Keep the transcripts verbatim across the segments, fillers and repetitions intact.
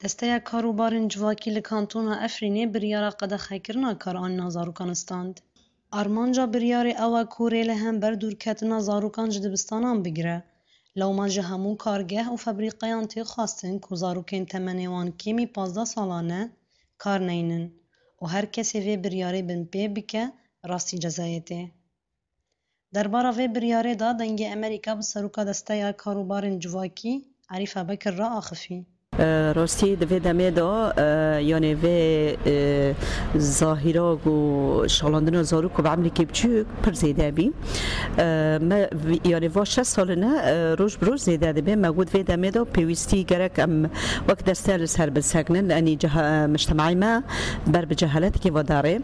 Desteya Karûbarên Civakî li Kantona Efrînê biryara qedexekirina karanîna zarokan stand. Armanca biryarê ew e ku rê li hember dûrketina zarokan ji dibistanan bigire. Lewma ji hemû kargeh û febrîqeyan tê xwestin ku zarokên temenê wan kêmî pazdeh salan e kar neynin û her kesê vê biryarê binpê bike, rastî cezayê tê. Derbara vê biryarê de Dengê Amerîka bi seroka Desteya Karûbarên Civakî Arîf Ebekir re axifî. Rastî di vê demê de, e, yanê vê, e, zahîra ku şalandina zarok ku bi emrîkî biçûk pir zêde bî. E, me vî-, yanê va şeş sal in e, roj bi roj zêde dibe. Me got vê demê de pêwîstî gerek em wek deste li ser bisekinin, enî ceha-, e, mictemaî me ber bi cehaletekê ve darê.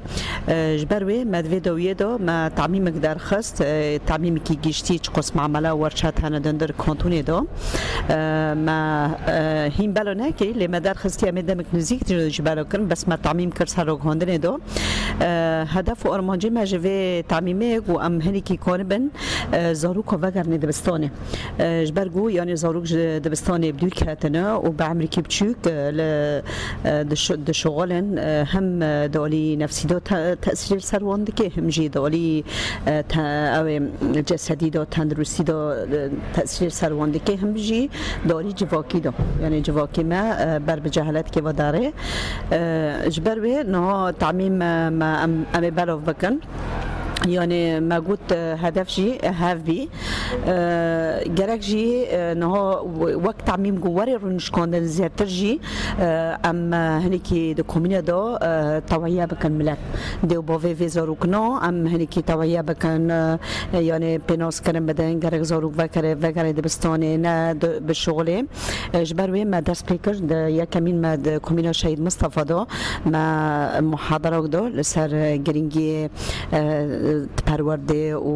E, ji ber wê me di vê dawiyê de me tamîmek derxist, e, tamîmekî giştî çiqas mamela werçet hene di hundir kantonê de. E, me, e, hîn bela nekir, lê me derxistiye, em ê demek nizîk jî bela kirin, bes me tamîm kir ser raghandinê de. E, hedef û armancê me ji vê tamîmê ku em hinekî kanibin, e, zaroka vegerine dibistanê. E, ji ber ku, yanî, zarok ji dibistanê bi dûr ketine û bi emrîkî biçûk, e, li, e, dişo-, dişoxilin, e, hem, e, di alî nefsî de te-, tesîrê li ser wan dike, hem jî di alî, e, te-, ew ê cesedî de, tenduristî de, e, tesîrê li ser wan dike, hem jî di alî civakî de. Yanî civakî me, e, ber bi cehaletekê ve darê. E, ji ber wê niha tamîm, e, me, em, em ê belav bikin. Yanî me got, e, hedef jî hev bî. E, gerek jî, e, niha we-, wek tamîm ku were rûnişkandin zêdetir jî, e, em, e, hinekî di komîne de, e, tewahiya bikin milet. Dê û bavê vê zarokina em hinekî tewahiya bikin, e, yanî pênaskirin bidin, gerek zarok vekere, vegere dibistanê, ne di, bi şixulê. E, ji ber wê me dest pê kir, di yekemîn me di komîna Şehîd Mistefa de me muhaderak da li ser girîngiyê, e, perwerdê û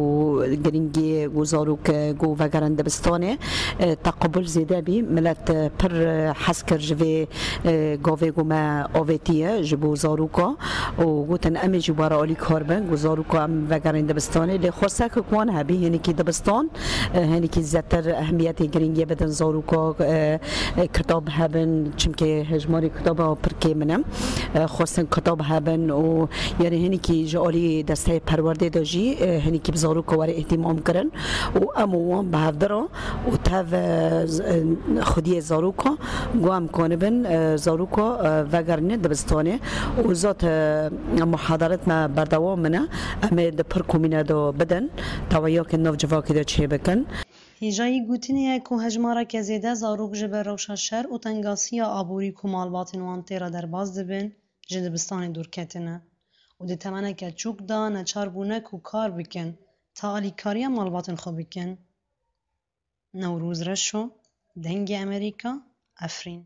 girîngiyê ku zarok, e, ku vegerin dibistanê, e, teqabul zêde bî. Milet, e, pir, e, hez kir ji vê, e, gavê ku me avêtiye ji bo zaroka û gotin, em ê jî were alîkar bin ku zaroka em vegerin dibistanê. Lê xwestek ku wan hebî, hinekî dibistan, e, hinekî zêdetir ehemiyetê, girîngiyê bidin zaroka, e, e, kitab hebin, çimkî hejmarê kitaba pir kêm in. E, xwestin kitab hebin û, yanî, hinekî ji alî desteyê perwerdê de jî, e, hinekî bi zaroka were îhtîmam kirin û em û wan bi hevdira û tev, e, z-, e, xwediyê zaroka, ku em kanibin, e, zaroka, e, vegerine dibistanê û zat, e, muhadaret me berdewam in e. Em ê di pir komîne de bidin, teweyakên nav civakê de çêbikin. Hêjayî gotinê ye ku hejmareke zêde zarok ji ber rewşa şer û tengasiya aborî ku malbatên wan tê re derbas dibin, ji dibistanê dûr ketine û di temeneke çûk de neçar bûne ku kar bikin, ta alîkariya malbatên xwe bikin. Newroz Reşo, Dengê Amerîka, Efrîn.